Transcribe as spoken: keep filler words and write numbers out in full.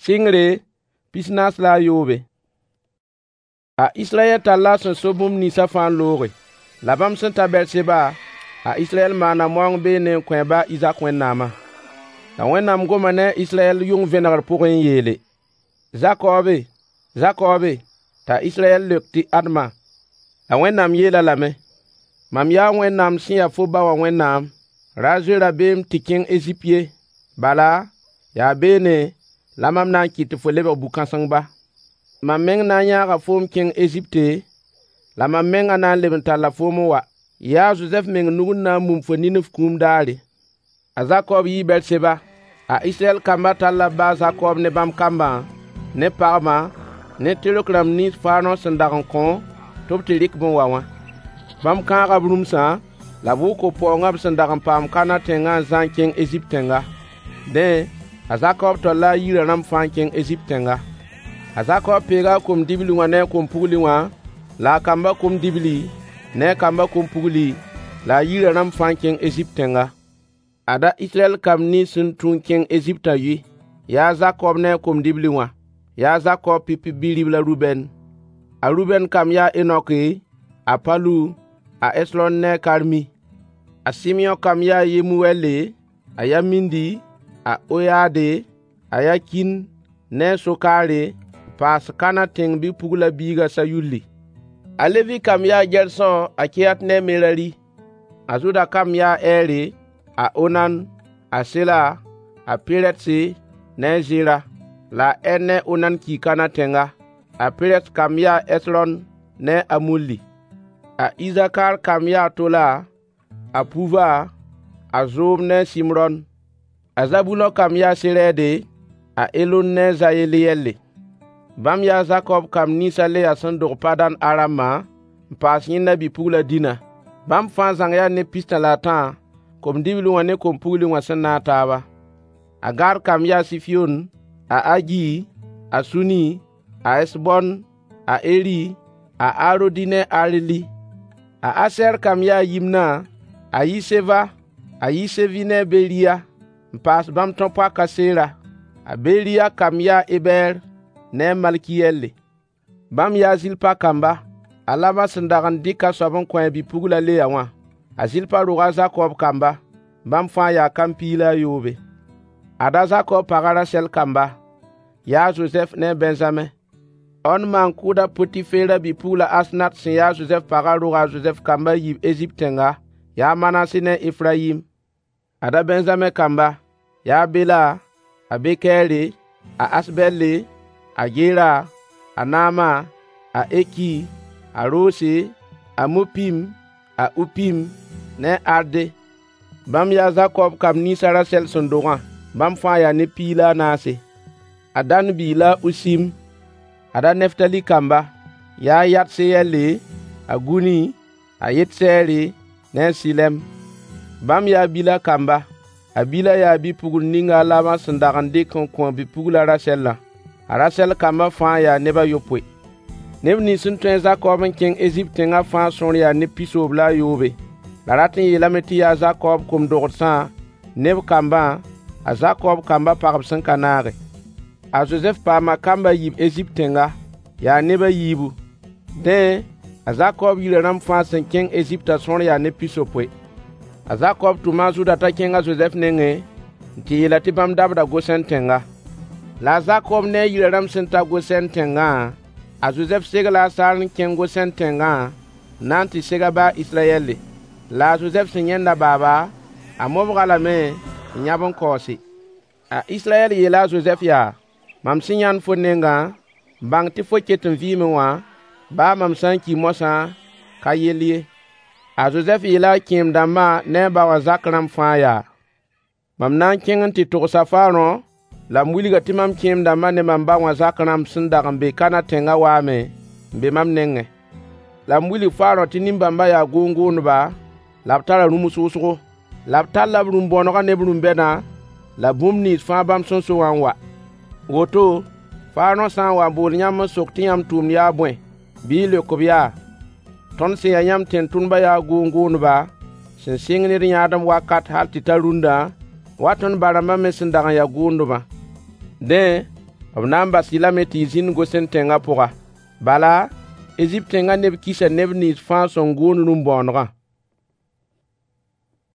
Sɩngre, pis-naas la a yoobe. A Israyɛl talla a sẽn so bũmb ninsã fãa n looge. La bãmb sẽn ta Bɛɛr-seba, a Israyɛl maana maoong beene n kõ a ba a Izak Wẽnnaamã. La Wẽnnaam goma ne a Israyɛl yʋng vẽnegr pʋgẽ n yeele: Zakoobe, Zakoobe! T'a Israyɛl leok tɩ ad-ma. La Wẽnnaam yeel-a lame: Mam yaa Wẽnnaam sẽn ya fo ba wã Wẽnnaam. Ra zoe rabeem tɩ kẽng Ezipt ye, bala, yaa beene la mam na n kɩt tɩ fo lebg bu-kãseng ba. Mam meng na n yãaga foom kẽng Ezipte, la mam mengã na n leb n talla foom n wa. Yaa a Zozɛf meng nug n na n mum fo nin f kũum daare. A Zakob yii Bɛɛr-seba. A Israyɛl kambã talla b ba a Zakob ne bãmb kambã, ne pagbã, ne tɩrg rãmb nins Farõ sẽn dag n kõ tɩ b tɩ rɩk-b n wa wã. Bãmb kãaga b rũmsã la b wʋk b paoongã b sẽn dag n paam Kanã tẽngã n zã n kẽng Ezipt tẽnga. Dẽ, a Zakob talla a yirã rãmb fãa n kẽng Ezipt tẽnga. A Zakob peega a kom-dibli wã ne a kom-pugli wã, la a kambã kom-dibli ne a kambã kom-pugli, la a yirã rãmb fãa n kẽng Ezipt tẽnga. Ada Israyɛl kamb nins sẽn tũ n kẽng Eziptã yʋy: Yaa a Zakob ne a kom-dibli wã. Yaa a Zakob pipi bi-ribl a Rubɛn. A Rubɛn kamb yaa a Enoke, a Palu, a Esron ne a Karmi. A Sɩmyõ kamb yaa a Yemuwɛɛle, a Yamindi, a Oyaade, a Yakin ne a Sokaare, n paas Kanã tẽng bi-puglã biig a Sayulli. A Levi kamb yaa a Gɛrsõ, a Kehat ne a Merari. A Zuda kamb yaa a Ɛɛre, a Onan, a Sela, a Perɛtse ne a Zera. La a Ɛr ne a Onan kii Kanã tẽnga. A Perɛs kamb yaa a Ɛsrɔn ne a Amulli. A Isakar kamb yaa a Tola, a Puva, a Zoob ne a Simrɔn. A Zabulõ kamb yaa a Serɛɛde, a Elon ne a Zayeleyɛlle. Bãmb yaa a Zakob kamb nins a Leya sẽn dog Padãn-Aramã, n paas yẽnda bi-pugl a Dĩna. Bãmb fãa zãng yaa neb pistã la a tã, kom-dibli wã ne kom-pugli wã sẽn naag taaba. A Gad kamb yaa a Sifiyoon, a Agi, a Suni, a Ɛsbɔn, a Eri, a Arodi ne a Areli. A Asɛr kamb yaa a Yimna, a Yiseva, a Yisevi ne a Beriya, n paas bãmb tão-poak a Sera. A Beriya kamb yaa a Ebɛɛr ne a Malkiyɛlle. Bãmb yaa a Zilpa kamba, a Labã sẽn dag n dɩk a soab n kõ a bi-pugl a Leya wã. A Zilpa roga a Zakob kamba. Bãmb fãa yaa kamb piig la a yoobe. Ada a Zakob pag a Rasɛl kamba: Yaa a Zozɛf ne a Bɛnzame. On maan-kʋʋd a Potifeera bi-pugl a Asnat sẽn ya a Zozɛf pagã roga a Zozɛf kamb a yiib Ezipt tẽnga: Yaa a Manase ne a Efrayim. Ada Bɛnzame kamba: Yaa a Bela, a Bekɛɛre, a Asbɛlle, a Gera, a Naama, a Eki, a Roose, a Mupim, a Upim ne a Arde. Bãmb yaa a Zakob kamb nins a Rasɛl sẽn dogã. Bãmb fãa yaa neb piig la a naase. A Dan biig la a Usim. Ada a Neftali kamba: Yaa a Yatseyɛlle, a Guni, a Yetsɛɛre ne a Sɩlɛm. Bãmb yaa a Bila kamba. A Bila yaa bi-pugl ning a Labã sẽn dag n dɩk n kõ a bi-pugl a Rasɛlã. A Rasɛl kambã fãa yaa neb a yopoe. Neb nins sẽn tũ a Zakob n kẽng Ezipt tẽngã fãa sõor yaa neb pisoob la a yoobe. La rat n yeelame tɩ yaa a Zakob kom-dogsã ne b kambã, a Zakob kambã pagb sẽn ka naage. A Zozɛf paama kamb a yiib Ezipt tẽnga. Yaa neb a yiibu. Dẽ, a Zakob yirã rãmb fãa sẽn kẽng Eziptã sõor yaa neb pisopoe. A Zakob tʋma a Zʋda t'a kẽng a Zozɛf nengẽ n tɩ yeel-a tɩ bãmb dabda Gosɛn tẽnga. La a Zakob ne a yirã rãmb sẽn ta Gosɛn tẽngã, a Zozɛf segla a saar n kẽng Gosɛn tẽngã n na n tɩ seg a ba a Israyɛlle. La a Zozɛf sẽn yãend a baaba, a mobg-a lame n yãb n kaoose. A Israyɛl yeela a Zozɛf yaa: Mam sẽn yãnd fo nengã n bãng tɩ fo ket n vɩɩme wã, baa mam sã n ki moasã, ka yell ye. A Zozɛf yeela a kẽem-dãmbã ne a ba wã zak rãmb fãa yaa: Mam na n kẽng n tɩ togsa Farõ la m wilg-a tɩ mam kẽem-dãmbã ne mam ba wã zak rãmb sẽn dag n be Kanã tẽngã waame n be mam nengẽ. La m wilg Farõ tɩ nin-bãmbã yaa goong-goondba la b tara rũms wʋsgo. La b talla b rũm-bõonegã ne b rũm-bɛdã la bũmb nins fãa bãmb sẽn so wã n wa. Woto, Farõ sã n wa n bool yãmb n sok tɩ yãmb tʋʋmd yaa bõe, bɩ y leok-b yaa: Tõnd sẽn ya yãmb tẽn-tʋmdbã yaa goong-goondba sẽn sɩng ne d yãadem wakat hal tɩ ta rũndã, wa tõnd ba-rãmbã me sẽn dag n ya goondbã. Dẽ, B na n bas-y lame tɩ y zĩnd Gosen tẽngã pʋga. Bala, Ezipt tẽngã neb kisa neb nins fãa sẽn gʋʋnd rũm-bõonegã.